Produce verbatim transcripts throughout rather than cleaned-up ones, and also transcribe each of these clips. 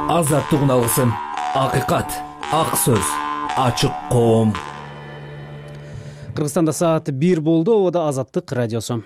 Азаттык алгысым, акыйкат, ак сөз, ачык коом. Кыргызстанда саат бир болду. Обода Азаттык радиосу.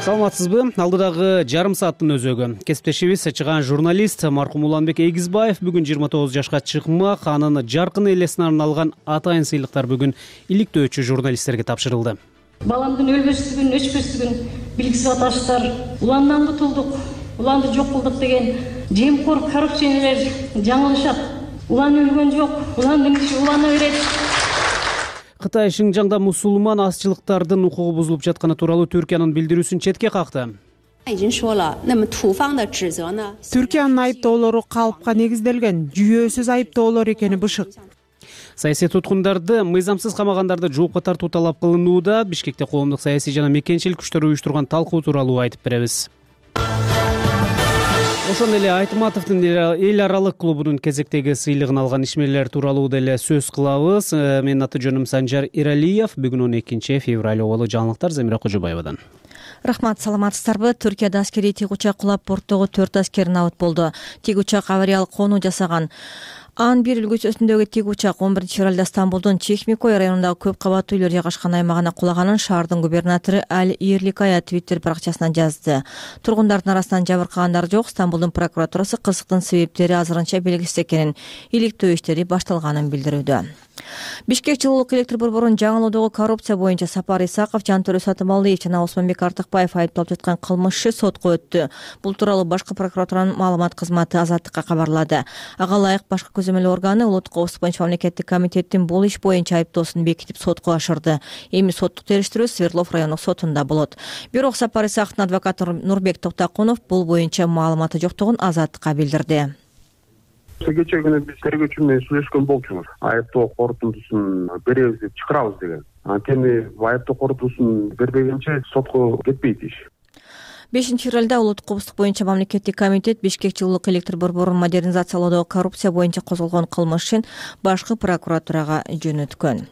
Саламатсызбы? Алдыдагы жарым сааттын өзөгү кесиптешибиз чыган журналист маркум Уланбек Эгизбаев бүгүн жыйырма тогуз жашка чыкмак. Анын жаркын элесине арналган атайын сыйлыктар бүгүн иликтөөчү журналисттерге тапшырылды. Баламдын өлбөстүгүн, өчпөстүгүн билгисип аташтар. Уландан кутулдук, уланды жок кылдык деген жемкор коррупционерлер жаңылышат. Улан өлгөн жок, уландын иши улана берет. Кытай Шинжаңда мусулман азчылыктардын укугу бузулуп жатканы тууралуу Түркиянын билдирүүсүн четке какты. Түркиянын айыптоолору калыпка негизделген, жүйөөсүз айыптоолор экени бышык. Саясий туткундарды, мыйзамсыз камагандарды жоопко тартуу талап кылынууда. Бишкекте коомдук саясий жана мекенчилик күчтөр уюштурган талкуу тууралуу айтып беребиз. Ошондой эле Айтматовдун эл аралык клубунун кезектеги сыйлыгын алган ишмерлер тууралуу деле сөз кылабыз. Менин аты жөнүм Санжар Иралиев. Бүгүн он экинчи февраль оболу жаңылыктар Земира Кожобаевадан. Рахмат, саламатсыздарбы? Түркияда аскерий тик учак кулап борттогу төрт аскер набыт болду. Тик учак авариялык конуу жасаган. Ан бир үлгүсүндөгү тик учак он биринчи февралда Стамбулдун Чехмикой районундагы көп кабаттуу үйлөр жайгашкан аймагына кулаганын шаардын губернатору Аль Ирликая Твиттер баракчасына жазды. Тургундардын арасынан жабыркагандар жок. Стамбулдун прокуратурасы кырсыктын себептери азырынча белгисиз экенин, иликтөө иштери башталганын билдирүүдө. Бишкек жылуулук электр борборунун жаңылоодогу коррупция боюнча Сапар Исаков, Жантөрө Сатымалиев жана Осмонбек Артыкбаев айыпталып жаткан кылмышчы сотко өттү. Бул тууралуу башкы прокуратуранын маалымат кызматы Азаттыкка кабарлады. Ага ылайык башкы көзөмөл органы улуттук коопсуздук боюнча мамлекеттик комитеттин бул иш боюнча айыптоосун бекитип сотко ашырды. Эми соттук териштирүү Свердлов райондук сотунда болот. Бирок Сапар Исаковдун адвокаты Нурбек Токтокунов бул боюнча маалыматы жоктугун Азаттыкка билдирди. Кечээ күнү биз тергөөчү менен сүйлөшкөн болчубуз. Айыптоо корутундусун беребиз деп чакырабыз деген. Анткени айыптоо корутундусун бербегенче сотко кетпейт иш. бешинчи февралда улуттук коопсуздук боюнча мамлекеттик комитет Бишкек жылуулук электр борборун модернизациялоодогу коррупция боюнча козголгон кылмыш үчүн башкы прокуратурага жөнөткөн.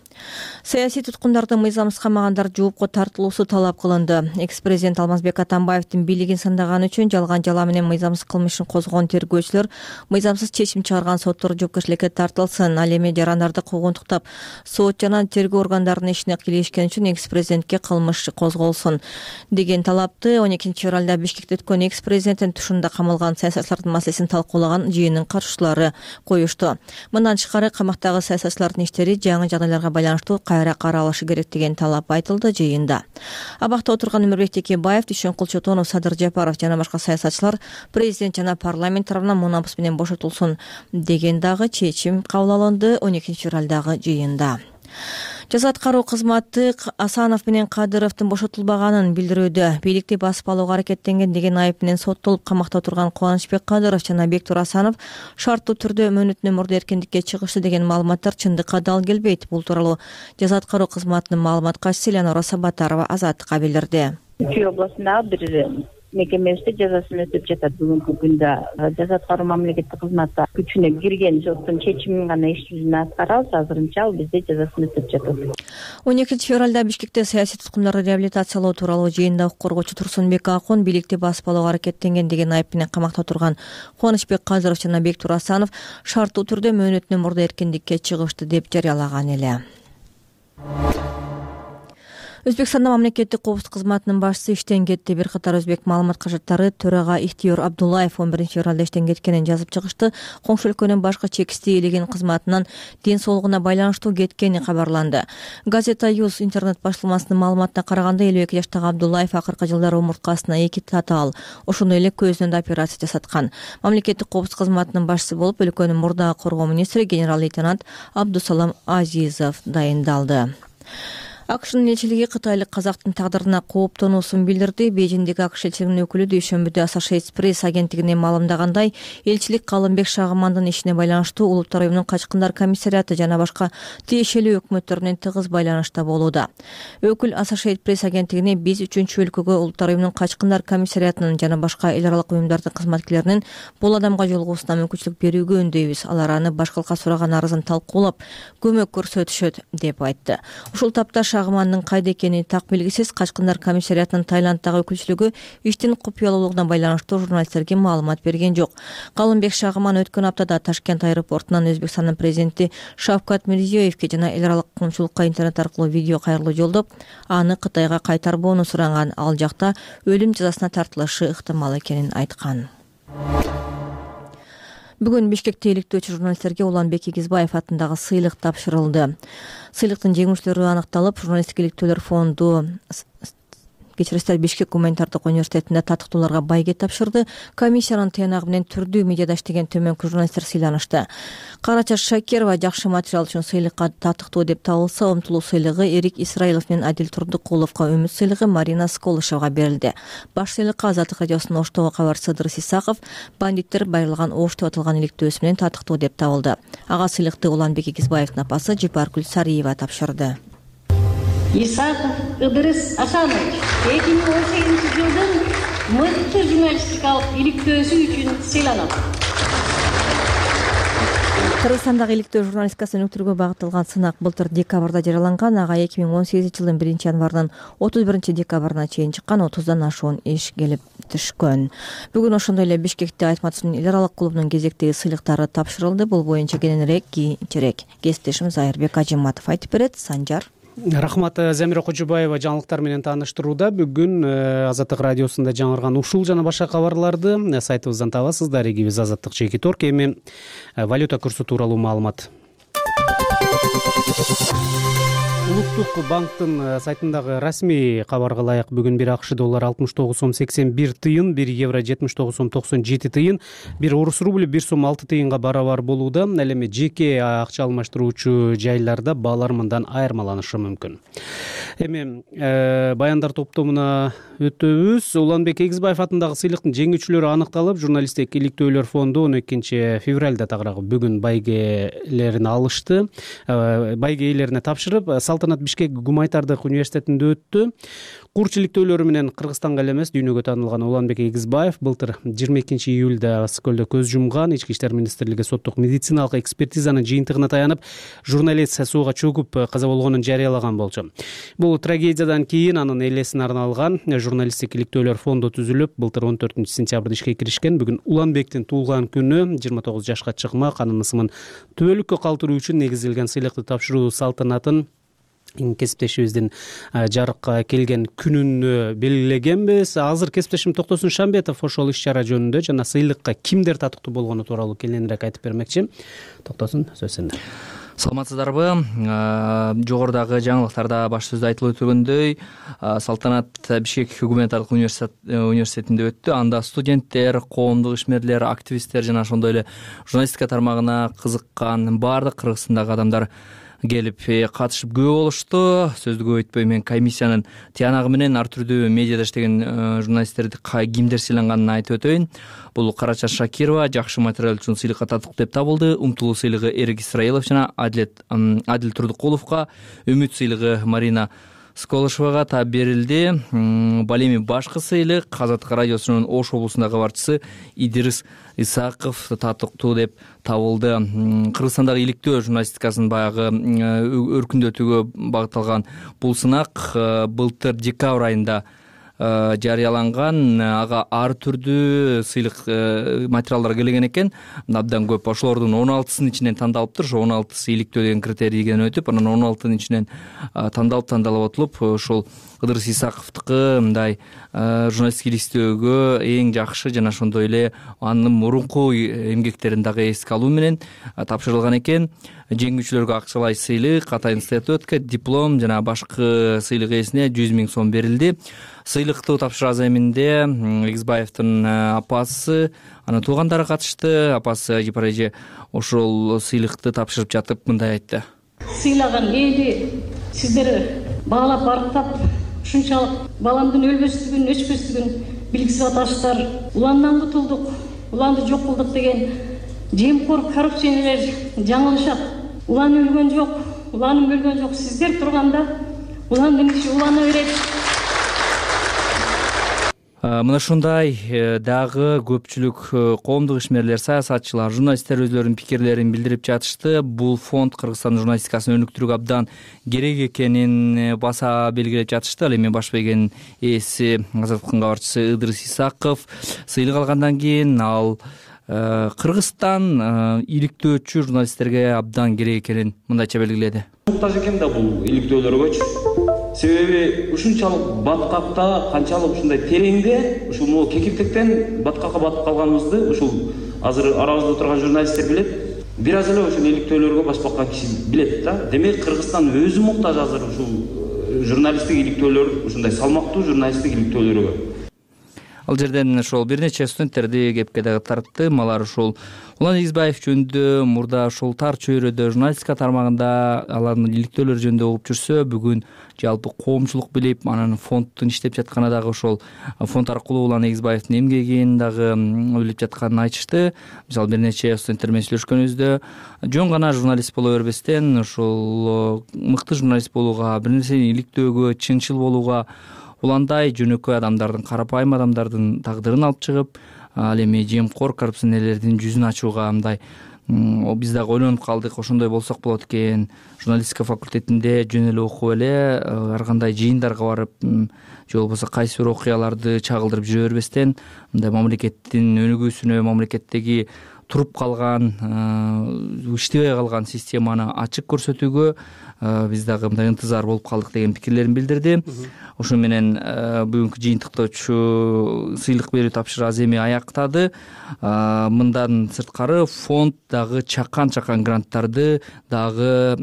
Саясий туткундардын мыйзамсыз камагандарды жоопко тартылуусу талап кылынды. Экс-президент Алмазбек Атамбаевдин бийлигин сындаганы үчүн жалган жала менен мыйзамсыз кылмышын козгогон тергөөчүлөр мыйзамсыз чечим чыгарган соттор жоопкерчиликке тартылсын. Ал эми жарандарды куугунтуктап сот жана тергөө органдарынын ишине кийлешкен үчүн экс-президентке кылмыш козголсун деген талапты он экинчи февралда Бишкекте өткөн экс-президенттин тушунда камалган саясатчылардын маселесин талкуулаган жыйындын катышуучулары коюшту. Мындан тышкары камактагы саясатчылардын иштери жаңы жагдайларга байланыштуу кайра каралышы керек деген талап айтылды жыйында. Абакта отурган Өмүрбек Текебаев, Дүйшөнкул Чотонов, Садыр Жапаров жана башка саясатчылар президент жана парламент тарабынан мунапыс менен бошотулсун деген дагы чечим кабыл алынды он экинчи февралдагы жыйында. Жаза аткаруу кызматы Асанов менен Кадыровдун бошотулбаганын билдирүүдө. Бийликти басып алууга аракеттенген деген айып менен соттолуп камакта отурган Кубанычбек Кадыров жана Бектур Асанов шарттуу түрдө мөөнөтүнөн мурда эркиндикке чыгышты деген маалыматтар чындыкка дал келбейт. Бул тууралуу жаза аткаруу кызматынын маалымат катчысы Элянора Сабатарова Азаттыкка билдирди. Чүй областындагы бир мекемесинде жазасын өтөп жатат бүгүнкү күндө. Жаза аткаруу мамлекеттик кызматы күчүнө кирген соттун чечимин гана иш жүзүнө аткарабыз. Азырынча ал бизде жазасын өтөп жатат. он экинчи февралда Бишкекте саясий туткундарды реабилитациялоо тууралуу жыйында укук коргоочу Турсунбек Акун бийликти басып алууга аракеттенген деген айып менен камакта отурган Кубанычбек Кадыров жана Бектур Асанов шарттуу түрдө мөөнөтүнөн мурда эркиндикке чыгышты деп жарыялаган эле. Өзбекстанда мамлекеттик коопсуздук кызматынын башчысы иштен кетти. Бир катар өзбек маалымат кажаттары төрага Ихтиёр Абдуллаев он биринчи февралда иштен кеткенин жазып чыгышты. Коңшу өлкөнүн башкы чекисти ээлеген кызматынан ден соолугуна байланыштуу кеткени кабарланды. Газета Юз интернет башылмасынын маалыматына караганда элүү эки жаштагы Абдуллаев акыркы жылдары омурткасына эки татаал, ошондой эле көзүнө да операция жасаткан. Мамлекеттик коопсуздук кызматынын башчысы болуп өлкөнүн мурдагы коргоо министри генерал-лейтенант Абдусалам Азизов дайындалды. АКШнын элчилиги кытайлык казактын тагдырына кооптонуусун билдирди. Бейжиңдеги АКШ элчилигинин өкүлү дүйшөмбүдө Associated Press агенттигине маалымдагандай, элчилик Калымбек Шагымандын ишине байланыштуу Улуттар уюмунун качкындар комиссариаты жана башка тиешелүү өкмөттөр менен тыгыз байланышта болууда. Өкүл Associated Press агенттигине биз үчүнчү өлкөгө Улуттар уюмунун качкындар комиссариятынын жана башка эл аралык уюмдардын кызматкерлеринин бул адамга жолугуусуна мүмкүнчүлүк берүүгө үндөйбүз. Алар аны башкалыкка сураган арызын талкуулап, көмөк көрсөтүшөт деп айтты. Ушул тапта Шагымандын кайда экени так белгисиз. Качкындар комиссариятынын Таиланддагы өкүлчүлүгү иштин купуялуулугуна байланыштуу журналисттерге маалымат берген жок. Калымбек Шагыман өткөн аптада Ташкент аэропортунан Өзбекстандын президенти Шавкат Мирзиёевке жана эл аралык коомчулукка интернет аркылуу видео кайрылуу жолдоп, аны Кытайга кайтарбоону суранган. Ал жакта өлүм жазасына тартылышы ыктымал экенин айткан. Бүгүн Бишкекте иликтөөчү журналисттерге Уланбек Эгизбаев атындагы сыйлык тапшырылды. Сыйлыктын жеңүүчүлөрү аныкталып, журналисттик иликтөөлөр фонду кечиресиздер Бишкек гуманитардык университетинде татыктууларга байге тапшырды. Комиссиянын тыянагы менен түрдүү медиада иштеген төмөнкү журналисттер сыйланышты. Карачаш Шакирова жакшы материал үчүн сыйлыкка татыктуу деп табылса, Умтулуу сыйлыгы Эрик Исраилов менен Адил Турдукуловго, Үмүт сыйлыгы Марина Сколышевага берилди. Баш сыйлыкка Азаттык радиосунун Оштогу кабарчысы Ыдырыс Исаков бандиттер байырлаган Ош деп аталган иликтөөсү менен татыктуу деп табылды. Ага сыйлыкты Уланбек Эгизбаевдин апасы Жипаркүл Сариева тапшырды. Исаков Ыдырыс Асанович эки миң он сегизинчи жылдын мыкты журналистикалык иликтөөсү үчүн сыйланат. Кыргызстандагы иликтөө журналистикасын өнүктүрүүгө багытталган сынак былтыр декабрда жарыяланган. Ага эки миң он сегизинчи жылдын биринчи январынан отуз биринчи декабрына чейин чыккан отуздан ашуун иш келип түшкөн. Бүгүн ошондой эле Бишкекте Айтматовдун эл аралык клубунун кезектеги сыйлыктары тапшырылды. Бул боюнча кененирээк кийинчерээк кесиптешим Зайырбек Ажиматов айтып берет. Санжар. Рахмат. Замира Кожобаева жаңылыктар менен тааныштырууда. Бүгүн Азаттык радиосунда жаңырган ушул жана башка кабарларды сайтыбыздан табасыздар. Эгибиз Азаттык Чеки Торг. Эми валюта курсу тууралуу маалымат. Улуттук банктын сайтындагы расмий кабарга ылайык бүгүн бир АКШ доллары алтымыш тогуз сом сексен бир тыйын, бир евро жетимиш тогуз сом токсон жети тыйын, бир орус рубль бир сом алты тыйынга барабар болууда. Ал эми жеке акча алмаштыруучу жайларда баалар мындан айырмаланышы мүмкүн. Эми э, баяндар топтомуна өтөбүз. Уланбек Эгизбаев атындагы сыйлыктын жеңүүчүлөрү аныкталып, журналисттик иликтөөлөр фонду он экинчи февралда тагыраагы бүгүн байгелерин алышты. Э, байге ээлерине тапшырып, Салтанат Бишкек гуманитардык университетинде өттү. Курч иликтөөлөрү менен Кыргызстанга эле эмес, дүйнөгө таанылган Уланбек Эгизбаев былтыр жыйырма экинчи июлда Ысык-Көлдө көз жумган. Ички иштер министрлиги соттук медициналык экспертизанын жыйынтыгына таянып, журналист сууга чөгүп каза болгонун жарыялаган болчу. Бул трагедиядан кийин анын элесине арналган журналисттик иликтөөлөр фонду түзүлүп, былтыр он төртүнчү сентябрда ишке киришкен. Бүгүн Уланбектин туулган күнү, жыйырма тогуз жашка чыкмак, анын ысымын түбөлүккө калтыруу үчүн негизделген сыйлыкты тапшыруу салтанатын кесиптешибиздин жарыкка келген күнүн белгилегенбиз. Азыр кесиптешим Токтосун Шамбетов ошол иш-чара жөнүндө жана сыйлыкка кимдер татыктуу болгону тууралуу кененирээк айтып бермекчи. Токтосун, сөз сенде. Саламатсыздарбы? Жогорудагы жаңылыктарда баш сөздө айтылып өтүлгөндөй, Салтанат Бишкек гуманитардык университетинде өттү. Анда студенттер, коомдук ишмерлер, активисттер жана ошондой эле журналистика тармагына кызыккан баардык Кыргызстандагы адамдар келип катышып көп болушту. Сөздү көп өтпөй мен комиссиянын тыянагы менен ар түрдүү медиада иштеген журналисттерди кимдер сыйланганын айтып өтөйүн. Бул Карачаш Шакирова жакшы материал үчүн сыйлыкка татыктуу деп табылды. Умтулуу сыйлыгы Эрик Исраилов жана Адил Турдукуловго, Үмүт сыйлыгы Марина Сколышевага та берилди. Бул эми башкы сыйлык Азаттык радиосунун Ош облусундагы кабарчысы Идирис Исаков татыктуу деп табылды. Кыргызстандагы иликтөө журналистикасынын баягы өркүндөтүүгө багытталган бул сынак былтыр декабрь айында жарыяланган. Ага ар түрдүү сыйлык материалдар келген экен. Абдан көп. Ошолордун он алтысынын ичинен тандалыптыр. Ошо он алтысы иликтөө деген критерийден өтүп, анан он алтынын ичинен тандалып тандалып отулуп, ошол Ыдырыс Исаковдуку мындай журналисттик иликтөөгө эң жакшы жана ошондой эле анын мурунку эмгектерин дагы эске алуу менен тапшырылган экен. Жеңүүчүлөргө акчалай сыйлык, атайын статуэтка, диплом жана башкы сыйлык ээсине жүз миң сом берилди. Сыйлыкты тапшыруу аземинде Эгизбаевдин апасы, анын туугандары катышты. Апасы Жипар эже ошол сыйлыкты тапшырып жатып мындай айтты. Сыйлаган эли сиздер баалап барктап, ушунчалык баламдын өлбөстүгүн, өчпөстүгүн билгизип атасыздар. Уландан кутулдук, уланды жок кылдык деген жемкор коррупционерлер жаңылышат. Улан өлгөн жок, уланым өлгөн жок. Сиздер турганда уландын иши улана берет. мына ушундай дагы көпчүлүк коомдук ишмерлер, саясатчылар, журналисттер өзлөрүнүн пикирлерин билдирип жатышты. Бул фонд Кыргызстандын журналистикасын өнүктүрүүгө абдан керек экенин баса белгилеп жатышты. Ал эми баш бегенин ээси, Азаттыктын кабарчысы Ыдырыс Исаков сыйлык алгандан кийин ал Кыргызстан иликтөөчү журналисттерге абдан керек экенин мындайча белгиледи. Муктаж экен да бул иликтөөлөргөчү. Себеби ушунчалык баткакта, канчалык ушундай тереңде, ушул могу кекилтектен баткакка батып калганыбызды ушул азыр арабызда турган журналисттер билет. Бир аз эле ушул иликтөөлөргө баш баккан киши билет да. Демек Кыргызстан өзү муктаж азыр ушул журналисттик иликтөөлөр, ушундай салмактуу журналисттик иликтөөлөргө. Ал жерден ошол бир нече студенттерди кепке дагы тарттым. Алар ушул Улан Эгизбаев жөнүндө мурда ушул тар чөйрөдө журналистика тармагында алардын иликтөөлөр жөнүндө угуп жүрсө, бүгүн жалпы коомчулук билип, анан фонддун иштеп жатканы дагы ошол фонд аркылуу Улан Эгизбаевдин эмгегин дагы билип жатканын айтышты. Мисалы бир нече студенттер менен сүйлөшкөнүбүздө жөн гана журналист боло бербестен, ушул мыкты журналист болууга, бир нерсени иликтөөгө, чынчыл болууга, уландай жөнөкөй адамдардын, карапайым адамдардын тагдырын алып чыгып, ал эми жемкор коррупционерлердин жүзүн ачууга мындай биз дагы ойлонуп калдык. Ошондой болсок болот экен. Журналистика факультетинде жөн эле окуп эле ар кандай жыйындарга барып, же болбосо кайсы бир окуяларды чагылдырып жүрө бербестен, мындай мамлекеттин өнүгүүсүнө, мамлекеттеги туруп калган, иштебей калган системаны ачык көрсөтүүгө биз дагы мындай ынтызар болуп калдык деген пикирлерин билдирди. Ошо менен бүгүнкү жыйынтыктоочу сыйлык берүү тапшырыгы аз эми аяктады. Мындан сырткары фонд дагы чакан-чакан гранттарды дагы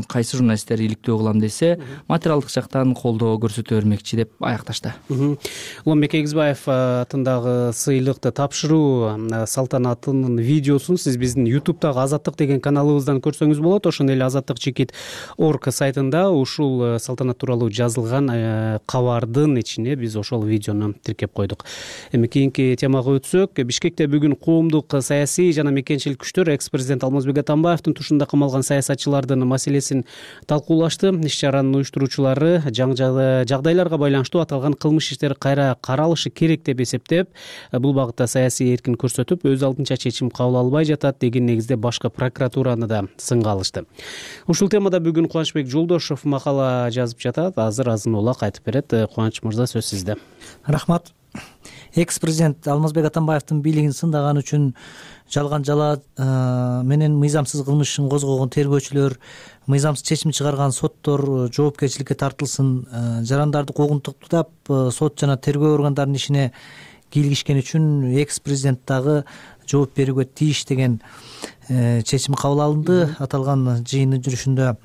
кайсы журналисттер иликтөө кылам десе, материалдык жактан колдоо көрсөтө бермекчи деп аякташты. Уланбек Эгизбаев атындагы сыйлыкты тапшыруу салтанатынын видеосун сиз биздин ютубтагы Азаттык деген каналыбыздан көрсөңүз болот. Ошондой эле азаттык чекит орг сайтында ушул салтанат тууралуу жазылган кабардын ичине биз ошол видеону тиркеп койдук. Эми кийинки темага өтсөк, Бишкекте бүгүн коомдук саясий жана мекенчилик күчтөр экс-президент Алмазбек Атамбаевдин тушунда камалган саясатчылардын маселесин талкуулашты. Иш-чаранын уюштуруучулары жагдайларга байланыштуу аталган кылмыш иштери кайра каралышы керек деп эсептеп, бул багытта саясий эркин көрсөтүп, өз алдынча чечим кабыл албай жатат деген негизде башкы прокуратураны да сынга алышты. Ушул темада бүгүн Кубанычбек Жолдошов макала жазып жатат. Азыр азын улак айтып берет. Кубаныч мырза, сөз сизде. Рахмат. Экс-президент Алмазбек Атамбаевдин бийлигин сындаган үчүн жалган жала менен мыйзамсыз кылмышын козгогон тергөөчүлөр, мыйзамсыз чечим чыгарган соттор жоопкерчиликке тартылсын, жарандарды куугунтуктап сот жана тергөө органдарынын ишине кийлигишкен үчүн экс-президент дагы жооп берүүгө тийиш деген чечим кабыл алынды аталган жыйындын жүрүшүндө.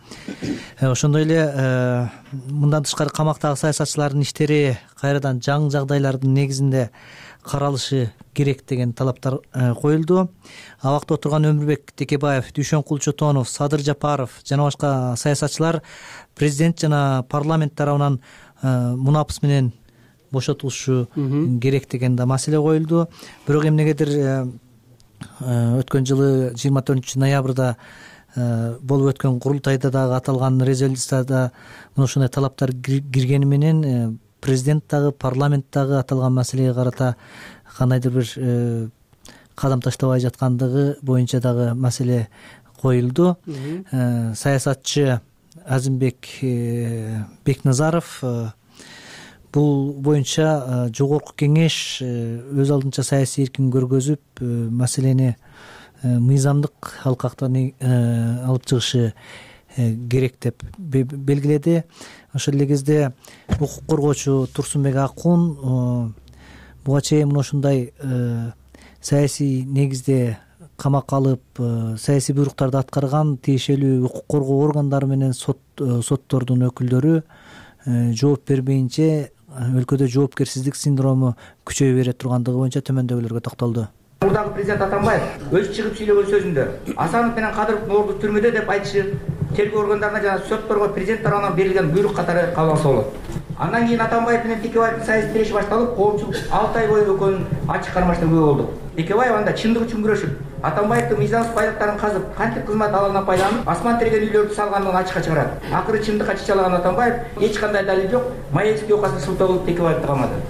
Ошондой эле мындан тышкары камактагы саясатчылардын иштери кайрадан жаңы жагдайлардын негизинде каралышы керек деген талаптар коюлду. Абакта отурган Өмүрбек Текебаев, Дүйшөн Кулчотонов, Садыр Жапаров жана башка саясатчылар президент жана парламент тарабынан мунапыс менен бошотулушу керек деген да маселе коюлду. Бирок эмнегедир өткөн жылы жыйырма төртүнчү ноябрда болуп өткөн курултайда дагы аталган резолюцияда мына ушундай талаптар киргени менен президент дагы парламент дагы аталган маселеге карата кандайдыр бир кадам таштабай жаткандыгы боюнча дагы маселе коюлду. Саясатчы Азимбек Бекназаров бул боюнча жогорку кеңеш өз алдынча саясий эркин көргөзүп, маселени мыйзамдык алкактан алып чыгышы керек деп белгиледи. Ошол эле кезде укук коргоочу Турсунбек Акун буга чейин мына ушундай саясий негизде камакка алып, саясий буйруктарды аткарган тиешелүү укук коргоо органдары менен соттордун өкүлдөрү жооп бербейинче өлкөдө жоопкерсиздик синдрому күчөйө бере тургандыгы боюнча төмөндөгүлөргө токтолду. Мурдагы президент Атамбаев өз чыгып сүйлөгөн сөзүндө Асанов менен Кадыровдун орду түрмөдө деп айтышы тергөө органдарына жана сотторго президент тарабынан берилген буйрук катары кабыл алса болот. Андан кийин Атамбаев менен Текебаевдин саясий тиреши башталып, коомчулук алты ай бою экөөнүн ачык кармашына күбө болду. Текебаев анда чындык үчүн күрөшүп, Атамбаевдин мыйзамсыз байлыктарын казып, кантип кызмат алалынан пайдаланып, асман тиреген үйлөрдү салгандыгын ачыкка чыгарат. Акыры чындыкка чычалаган Атамбаев эч кандай далил жок, Маевский окасына шылтоо кылып Текебаевди камады.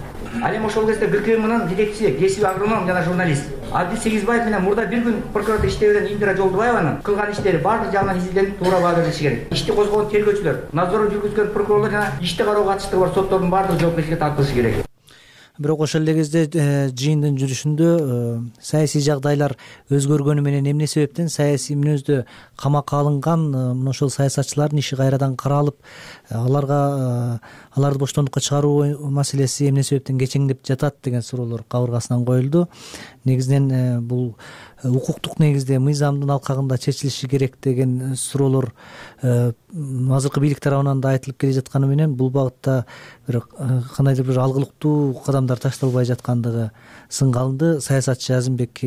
Ал эми ошол кезде ГКМнын жетекчиси кесип агроном жана журналист Абдис Эгизбаев менен мурда бир күн прокуратура иштебеген Индира Жолдубаеванын кылган иштери баардык жагынан изилденип туура баа берилиши керек. Ишти козгогон тергөөчүлөр, надзор жүргүзгөн прокурорлор жана ишти кароого катыштыгы бар соттордун баардыгы жоопкерчиликке тартылышы керек. Бирок ошол эле кезде жыйындын жүрүшүндө саясий жагдайлар өзгөргөнү менен эмне себептен саясий мүнөздө камакка алынган мына ошол саясатчылардын иши кайрадан каралып, аларга аларды боштондукка чыгаруу маселеси эмне себептен кечеңдеп жатат деген суроолор кабыргасынан коюлду. Негизинен бул укуктук негизде мыйзамдын алкагында чечилиши керек деген суроолор азыркы бийлик тарабынан да айтылып келе жатканы менен бул багытта бир кандайдыр бир алгылыктуу кадамдар ташталбай жаткандыгы сынга алынды. Саясатчы Азимбек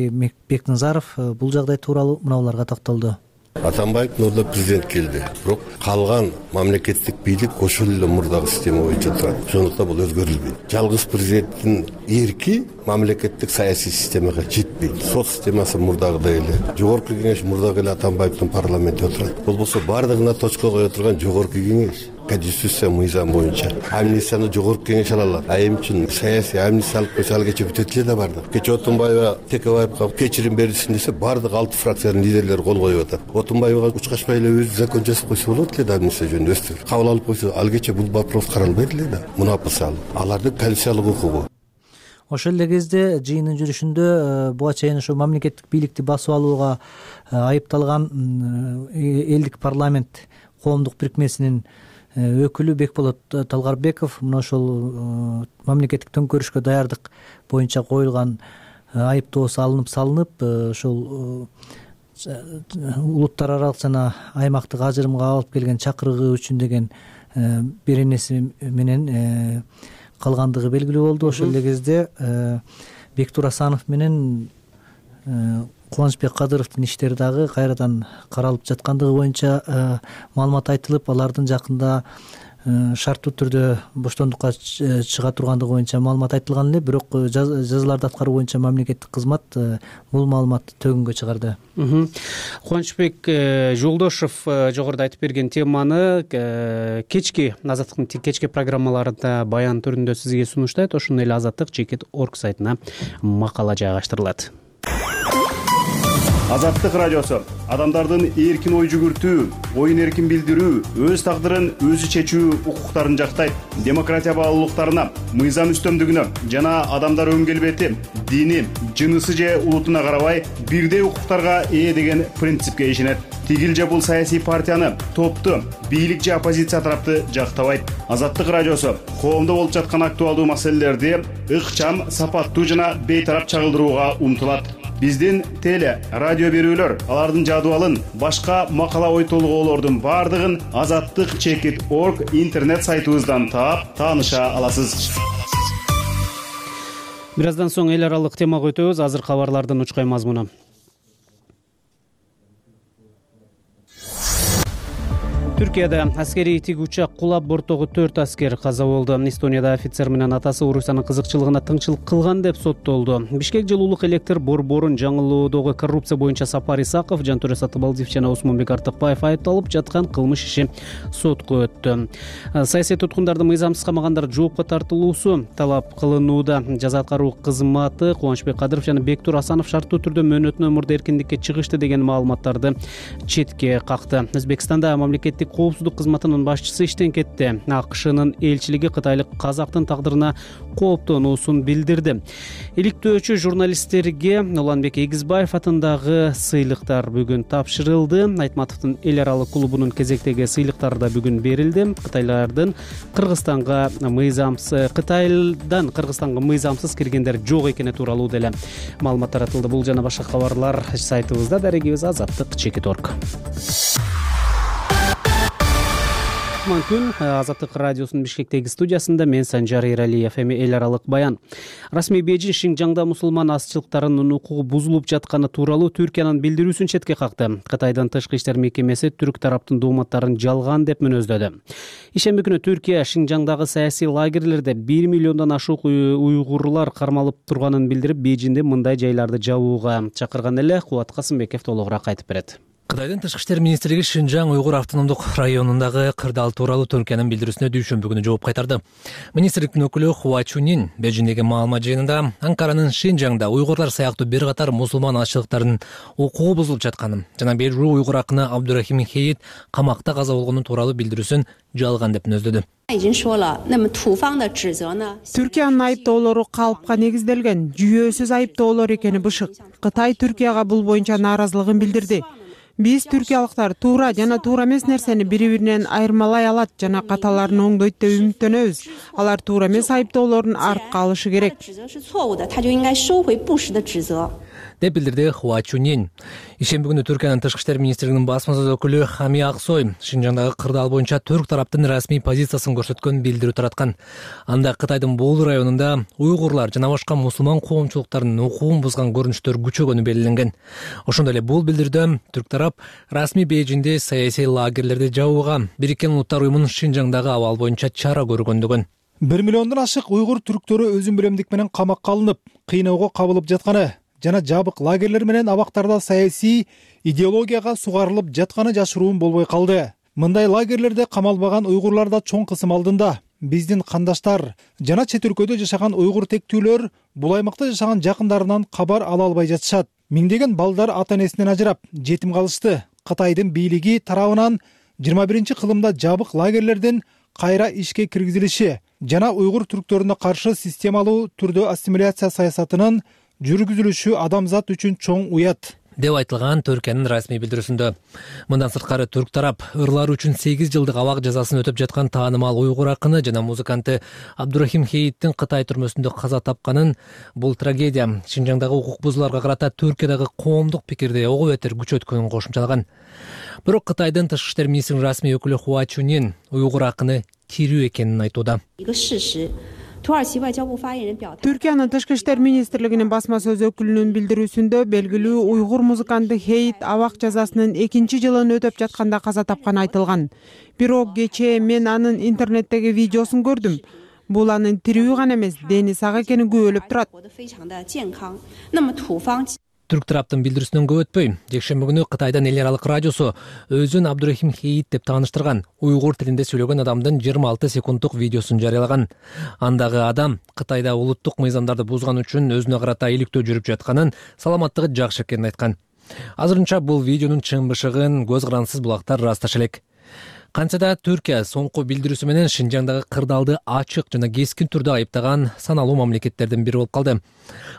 Бекназаров бул жагдай тууралуу мыналарга токтолду. Атамбаевдин ордуна президент келди, бирок калган мамлекеттик бийлик ошол эле мурдагы система боюнча турат. Ошондуктан бул өзгөрүлбөйт. Жалгыз президенттин эрки мамлекеттик саясий системага жетпейт. Сот системасы мурдагыдай эле, жогорку кеңеш мурдагы эле Атамбаевдин парламентте отурат. Бул болсо баардыгына точка кое турган жогорку кеңеш. Конституция мыйзам боюнча амнистияны жогорку кеңеш ала алат. А эми үчүн саясий амнистия алып койсо ал кече бүтөт эле да бардык. Кече Отунбаева Текебаевга кечирим берилсин десе бардык алты фракциянын лидерлери кол коюп атат. Отунбаевга учкашпай эле өзү закон жасап койсо болот эле да, амнистия жөнүндө өстүр кабыл алып койсо ал кече бул вопрос каралбайт эле да. Мунапысы ал алардын конституциялык укугу. Ошол эле кезде жыйындын жүрүшүндө буга чейин ошо мамлекеттик бийликти басып алууга айыпталган элдик парламент коомдук бирикмесинин өкүлү Бекболот Талгарбеков мына ошол мамлекеттик төңкөрүшкө даярдык боюнча коюлган айыптоо салынып салынып ошол улуттар аралык жана аймактык ажырымга алып келген чакырыгы үчүн деген беренеси менен калгандыгы белгилүү болду. Ошол эле кезде Бектур Асанов менен Кубанычбек Кадыровдун иштери дагы кайрадан каралып жаткандыгы боюнча маалымат айтылып, алардын жакында шарттуу түрдө боштондукка чыга тургандыгы боюнча маалымат айтылган эле, бирок жазаларды аткаруу боюнча мамлекеттик кызмат бул маалыматты төгүнгө чыгарды. Кубанычбек Жолдошов жогоруда айтып берген теманы кечки Азаттыктын кечки программаларында баян түрүндө сизге сунуштайт. Ошондой эле Азаттык чекит точка орг сайтына макала жайгаштырылат. Азаттык радиосу адамдардын эркин ой жүгүртүү, оюн эркин билдирүү, өз тагдырын өзү чечүү укуктарын жактайт. Демократия баалуулуктарына, мыйзам үстөмдүгүнө жана адамдар өн келбети, дини, жынысы же улутуна карабай бирдей укуктарга ээ деген принципке ишенет. Тигил же бул саясий партияны, топту, бийлик же оппозиция тарапты жактабайт. Азаттык радиосу коомдо болуп жаткан актуалдуу маселелерди ыкчам, сапаттуу жана бейтарап чагылдырууга умтулат. Биздин теле, радио берүүлөр, алардын жадыбалын, башка макала ой толгоолордун баардыгын азаттык чекит точка орг интернет сайтыбыздан таап, тааныша аласыз. Бир аздан соң эл аралык темага өтөбүз. Азыр кабарлардын учкай мазмуну. Түркияда аскерий тигүүчак кулап борттогу төрт аскер каза болду. Эстонияда офицер менен атасы Орусиянын кызыкчылыгына тыңчылык кылган деп соттолду. Бишкек жылуулук электр борборун жаңылоодогу коррупция боюнча Сапар Исаков, Жантөре Сатыбалдиев жана Усмонбек Артыкбаев айыпталып жаткан кылмыш иши сотко өттү. Саясий туткундарды мыйзамсыз камагандар жоопко тартылуусу талап кылынууда. Жаза аткаруу кызматы Кубанычбек Кадыров жана Бектур Асанов шарттуу түрдө мөөнөтүнөн мурда эркиндикке чыгышты деген маалыматтарды четке какты. Өзбекстанда мамлекеттик коопсуздук кызматынын башчысы иштен кетти. АКШнын элчилиги кытайлык казактын тагдырына кооптонуусун билдирди. Иликтөөчү журналисттерге Уланбек Эгизбаев атындагы сыйлыктар бүгүн тапшырылды. Айтматовдун эл аралык клубунун кезектеги сыйлыктары да бүгүн берилди. Кытайлардын Кыргызстанга мыйзамсыз Кытайдан Кыргызстанга мыйзамсыз киргендер жок экени тууралуу деле маалымат таратылды. Бул жана башка кабарлар сайтыбызда, дарегибиз азаттык чекит точка орг. Күн Азаттык радиосунун Бишкектеги студиясында мен Санжар Эралиев. Эми эл аралык баян. Расмий Бейжин Шинжаңда мусулман азчылыктарынын укугу бузулуп жатканы тууралуу Түркиянын билдирүүсүн четке какты. Кытайдын тышкы иштер мекемеси түрк тараптын дооматтарын жалган деп мүнөздөдү. Ишемби күнү Түркия Шинжаңдагы саясий лагерлерде бир миллиондон ашык уйгурлар кармалып турганын билдирип, Бейжинде мындай жайларды жабууга чакырган эле. Кубат Касымбеков толугураак айтып берет. Кытайдын тышкы иштер министрлиги Шинжаң уйгур автономдук районундагы кырдаал тууралуу Түркиянын билдирүүсүнө дүйшөмбү күнү жооп кайтарды. Министрликтин өкүлү Хуа Чунин Бейжиңдеги маалымат жыйынында Анкаранын Шинжаңда уйгурлар сыяктуу бир катар мусулман азчылыктардын укугу бузулуп жатканын жана бир уйгур акыны Абдурахим Хейит камакта каза болгону тууралуу билдирүүсүн жалган деп мүнөздөдү. Түркиянын айыптоолору калыпка негизделген, жүйөөсүз айыптоолор экени бышык. Кытай Түркияга бул боюнча нааразылыгын билдирди. Биз түркиялыктар туура жана туура эмес нерсени бири-биринен айырмалай алат жана каталарын оңдойт деп үмүттөнөбүз. Алар туура эмес айыптоолорун артка алышы керек деп билдирди Хуа Чунин. Ишемби күнү Түркиянын тышкы иштер министрлигинин басма сөз өкүлү Хами Аксой Шинжаңдагы кырдаал боюнча түрк тараптын расмий позициясын көрсөткөн билдирүү тараткан. Анда Кытайдын Бул районунда уйгурлар жана башка мусулман коомчулуктарынын укугун бузган көрүнүштөр күчөгөнү белгиленген. Ошондой эле бул билдирүүдө түрк тарап расмий Бейжиңде саясий лагерлерди жабууга Бириккен Улуттар уюмунун Шинжаңдагы абал боюнча чара көргөндүгүн. бир миллиондон ашык уйгур түрктөрү өзүн биремдик менен камакка алынып, кыйноого кабылып жатканы жана жабык лагерлер менен абактарда саясий идеологияга сугарылып жатканы жашыруун болбой калды. Мындай лагерлерде камалбаган уйгурлар да чоң кысым алдында. Биздин кандаштар жана чет өлкөдө жашаган уйгур тектүүлөр бул аймакта жашаган жакындарынан кабар ала албай жатышат. Миңдеген балдар ата-энесинен ажырап, жетим калышты. Кытайдын бийлиги тарабынан жыйырма биринчи кылымда жабык лагерлердин кайра ишке киргизилиши жана уйгур түрктөрүнө каршы системалуу түрдө ассимиляция саясатынын жүргүзүлүшү адамзат үчүн чоң уят деп айтылган Түркиянын расмий билдирүүсүндө. Мындан сырткары түрк тарап ырлар үчүн сегиз жылдык абак жазасын өтөп жаткан таанымал уйгур акыны жана музыканты Абдурахим Хейиттин Кытай түрмөсүндө каза тапканын, бул трагедия Шинжаңдагы укук бузууларга карата Түркиядагы коомдук пикирди ого бетер күчөткөнүн кошумчалаган. Бирок Кытайдын тышкы иштер министринин расмий өкүлү Хуа Чунин уйгур акыны тирүү экенин айтууда. Түркиянын тышкы иштер министрлигинин басма сөз өкүлүнүн билдирүүсүндө белгилүү уйгур музыканты Хейит абак жазасынын экинчи жылын өтөп жатканда каза тапканы айтылган. Бирок кечээ мен анын интернеттеги видеосун көрдүм. Бул анын тирүү гана эмес, дени сак экени күбөлөп турат. Түрк тараптын билдирүүсүнөн көп өтпөй, жекшемби күнү Кытайдын эл аралык радиосу өзүн Абдурахим Хейит деп тааныштырган уйгур тилинде сүйлөгөн адамдын жыйырма алты секунддук видеосун жарыялаган. Андагы адам Кытайда улуттук мыйзамдарды бузган үчүн өзүнө карата иликтөө жүрүп жатканын, саламаттыгы жакшы экенин айткан. Азырынча бул видеонун чын бышыгын көз карансыз булактар ырасташы элек. Кантса да Түркия соңку билдирүүсү менен Шинжаңдагы кырдаалды ачык жана кескин түрдө айыптаган саналуу мамлекеттердин бири болуп калды.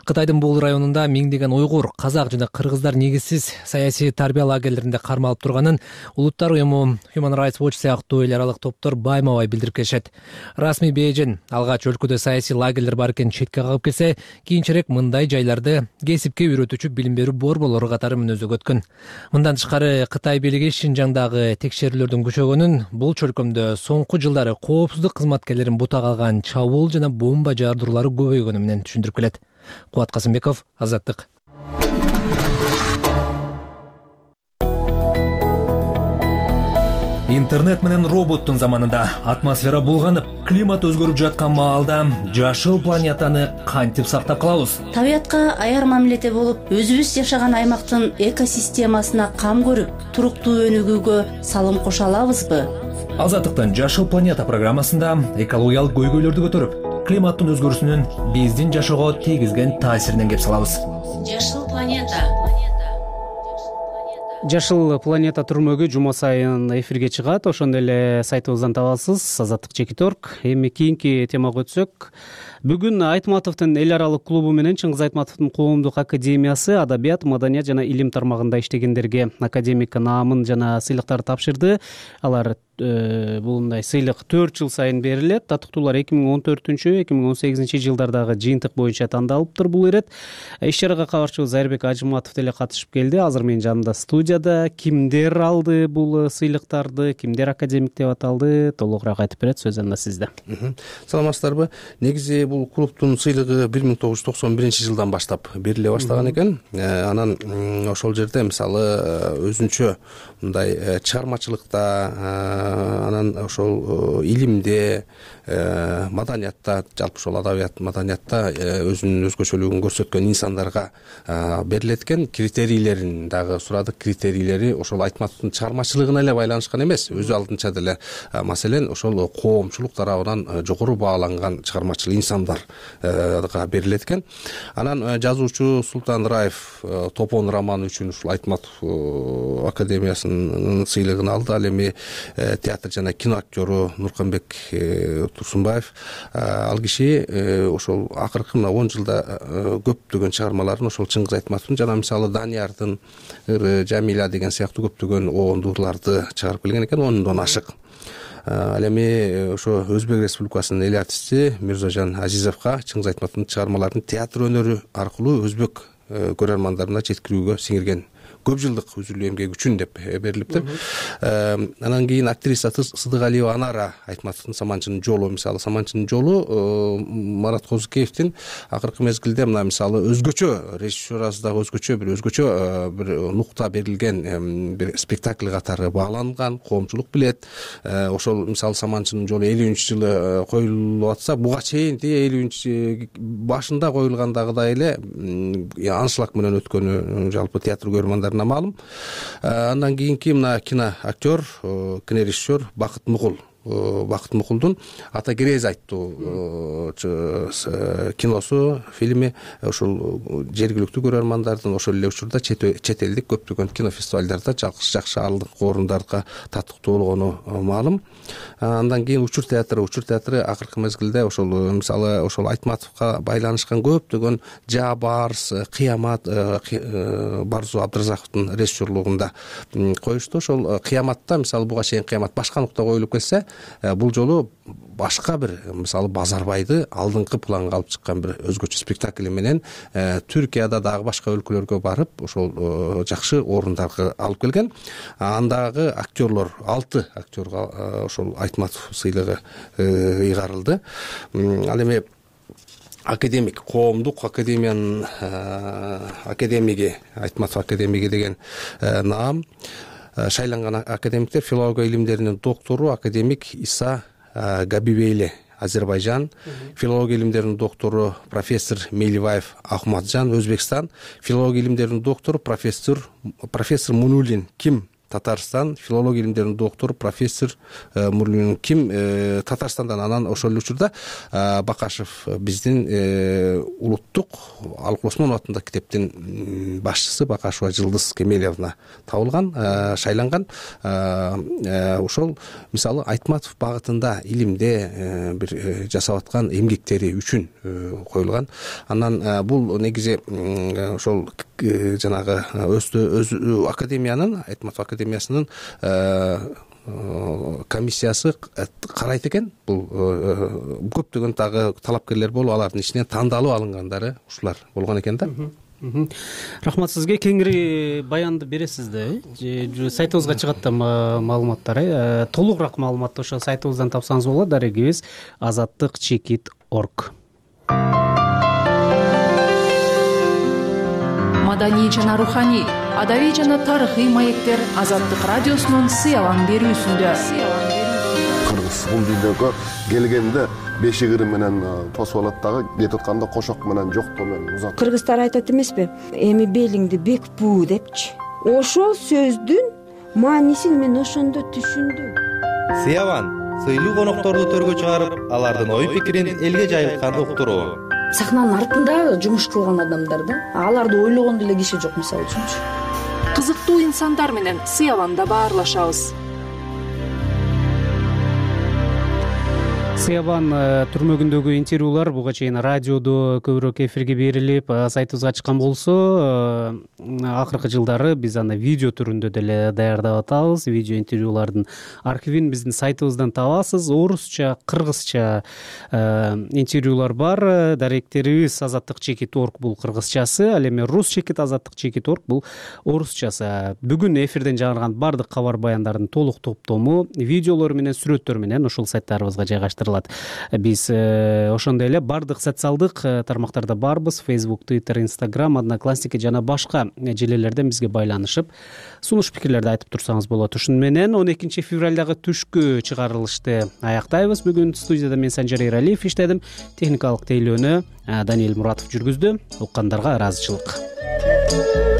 Кытайдын Бул районунда миңдеген уйгур, казак жана кыргыздар негизсиз саясий тарбия лагерлеринде кармалып турганын Улуттар уюму Human Rights Watch сыяктуу эл аралык топтор байма-бай билдирип келишет. Расмий Бейжиң алгач өлкөдө саясий лагерлер бар экенин четке кагып келсе, кийинчерээк мындай жайларды кесипке үйрөтүүчү билим берүү борборлору катары мүнөздөгө өткөн. Мындан тышкары Кытай бийлиги Шинжаңдагы текшерүүлөрдүн күчөгөнүн, бул чөлкөмдө соңку жылдары коопсуздук кызматкерлерин бутак алган чабуул жана бомба жаардыруулары көбөйгөнү менен түшүндүрүп келет. Кубат Касымбеков, Азаттык. Интернет менен роботтун заманында атмосфера булганып, климат өзгөрүп жаткан маалда жашыл планетаны кантип сактап калабыз? Табиятка аяр мамиледе болуп, өзүбүз жашаган аймактын экосистемасына кам көрүп, туруктуу өнүгүүгө салым кошо алабызбы? Азаттыктын Жашыл планета программасында экологиялык көйгөйлөрдү көтөрүп, климаттын өзгөрүүсүнүн биздин жашоого тийгизген таасиринен кеп салабыз. Жашыл планета. Жашыл планета түрмөгү жума сайын эфирге чыгат. Ошондой эле сайтыбыздан табасыз. Азаттык чекит точка орг. Эми кийинки темага өтсөк, бүгүн Айтматовдун эл аралык клубу менен Чыңгыз Айтматовдун коомдук академиясы адабият, маданият жана илим тармагында иштегендерге академик наамын жана сыйлыктарды тапшырды. Алар бул мындай сыйлык төрт жыл сайын берилет. Татыктуулар эки миң он төртүнчү эки миң он сегизинчи жылдардагы жыйынтык боюнча тандалыптыр бул ирет. Иш-чарага кабарчыбыз Айырбек Ажыматов деле катышып келди. Азыр менин жанымда студияда. Кимдер алды бул сыйлыктарды, кимдер академик деп аталды, толугураак айтып берет. Сөз анда сизде. Саламатсыздарбы? Негизи бул клубтун сыйлыгы бир миң тогуз жүз токсон биринчи жылдан баштап бериле баштаган экен. Анан ошол жерде мисалы өзүнчө мындай чыгармачылыкта анан ошол илимде, маданиятта, жалпы ошол адабият маданиятта өзүнүн өзгөчөлүгүн көрсөткөн инсандарга берилет экен. Критерийлерин дагы сурадык. Критерийлери ошол Айтматовдун чыгармачылыгына эле байланышкан эмес, өзү алдынча деле. Маселен, ошол коомчулук тарабынан жогору бааланган чыгармачыл инсандарга берилет экен. Анан жазуучу Султан Раев Топон романы үчүн ушул Айтматов академиясынын сыйлыгын алды. Ал эми театр жана кино актёру Нурканбек Турсунбаев, ал киши ошол акыркы мына он жылда көптөгөн чыгармаларын ошол Чыңгыз Айтматовдун жана мисалы Даниярдын Жамиля деген сыяктуу көптөгөн оондууларды чыгарып келген экен, ондон ашык. Ал эми ошо Өзбек Республикасынын эл артисти Мирзожан Азизовго Чыңгыз Айтматовдун чыгармаларын театр өнөрү аркылуу өзбек көрөрмандарына жеткирүүгө сиңирген көп жылдык үзүлүү эмгеги үчүн деп берилиптир. Анан кийин актриса Сыдыгалиева Анара Айтматовдун Саманчынын жолу, мисалы Саманчынын жолу Марат Козукеевдин акыркы мезгилде мына мисалы өзгөчө режиссерасы дагы өзгөчө бир өзгөчө бир нукта берилген бир спектакль катары бааланган, коомчулук билет. Ошол мисалы Саманчынын жолу элүүнчү жылы коюлуп атса, буга чейин элүүнчү башында коюлгандагыдай эле аншлаг менен өткөнү жалпы театр көрөрмандарына маалым. Андан кийинки мына кино актер, кинорежиссер Бакыт Мукул. Бакыт Мукулдун Ата Керез айттуу киносу, фильми ошол жергиликтүү көрөрмандардын ошол эле учурда чет элдик көптөгөн кинофестивалдарда жакшы алдыңкы орундарга татыктуу болгону маалым. Андан кийин Учур театры, Учур театры акыркы мезгилде ошол мисалы ошол Айтматовго байланышкан көптөгөн Жа Барс, Кыямат, Барзу Абдыразаковдун режиссерлугунда коюшту. Ошол Кыяматта мисалы буга чейин Кыямат башка нукта коюлуп келсе, бул жолу башка бир мисалы Базарбайды алдыңкы планга алып чыккан бир өзгөчө спектакль менен Түркияда дагы башка өлкөлөргө барып ошол жакшы орундарга алып келген. Андагы актерлор алты актерга ошол Айтматов сыйлыгы ыйгарылды. Ал эми академик, коомдук академиянын академиги, Айтматов академиги деген наам шайланган академиктер филология илимдеринин доктору академик Иса Габибейли Азербайжан, филология илимдеринин доктору профессор Мейливаев Ахматжан Өзбекстан, филология илимдеринин доктору профессор профессор Мунулин Ким Татарстан, филология илимдеринин доктору профессор Мунулин Ким Татарстандан. Анан ошол учурда Бакашев биздин улуттук Алык Осмонов атындагы китептин башчысы Бакашева Жылдыз Кемелевна табылган, шайланган. Ошол мисалы Айтматов багытында илимде бир жасап аткан эмгектери үчүн коюлган. Анан бул негизи ошол жанагы өз академиянын Айтматов академиясынын комиссиясы карайт экен. Бул көптөгөн дагы талапкерлер болуп, алардын ичинен тандалып алынгандары ушулар болгон экен да. Рахмат сизге. Кеңири баянды бересиз да, э? Сайтыбызга чыгат да маалыматтар, э? Толугураак маалыматты ошо сайтыбыздан тапсаңыз болот. Дарегибиз азаттык чекит орг. Маданий жана руханий, адабий жана тарыхый маектер Азаттык радиосунун сыялан берүүсүндө. Кыргыз бул видеого келгенде бешигири менен тосуп алат дагы, кетип атканда кошок менен жоктоо менен узат. Кыргыздар айтат эмеспи? Эми белиңди бек буу депчи. Ошол сөздүн маанисин мен ошондо түшүндүм. Сыяван сыйлуу конокторду төргө чыгарып, алардын ой пикирин элге жайылткан уктуруу. Сахнанын артында жумуш кылган адамдар да, аларды ойлогон деле киши жок, мисалы үчүнчү. Кызыктуу инсандар менен Сыяванда баарлашабыз. Сыяван түрмөгүндөгү интервьюлар буга чейин радиодо көбүрөөк эфирге берилип, сайтыбызга чыккан болсо, акыркы жылдары биз аны видео түрүндө деле даярдап атабыз. Видео интервьюлардын архивин биздин сайтыбыздан табасыз. Орусча, кыргызча интервьюлар бар. Даректерибиз азаттык чекит орг бул кыргызчасы, ал эми рус чекит азаттык чекит орг бул орусчасы. Бүгүн эфирден жаңырган бардык кабар баяндардын толук топтому видеолор менен, сүрөттөр менен ушул сайттарыбызга жайгаштырылат. калат. Биз ошондой эле бардык социалдык тармактарда барбыз: Facebook, Twitter, Instagram, Одноклассники жана башка желелерден бизге байланышып сунуш пикирлерди айтып турсаңыз болот. Ушуну менен он экинчи февралдагы түшкү чыгарылышты аяктайбыз. Бүгүн студияда мен Санжар Эралиев иштедим. Техникалык тейлөөнү Даниил Муратов жүргүздү. Уккандарга ыраазычылык.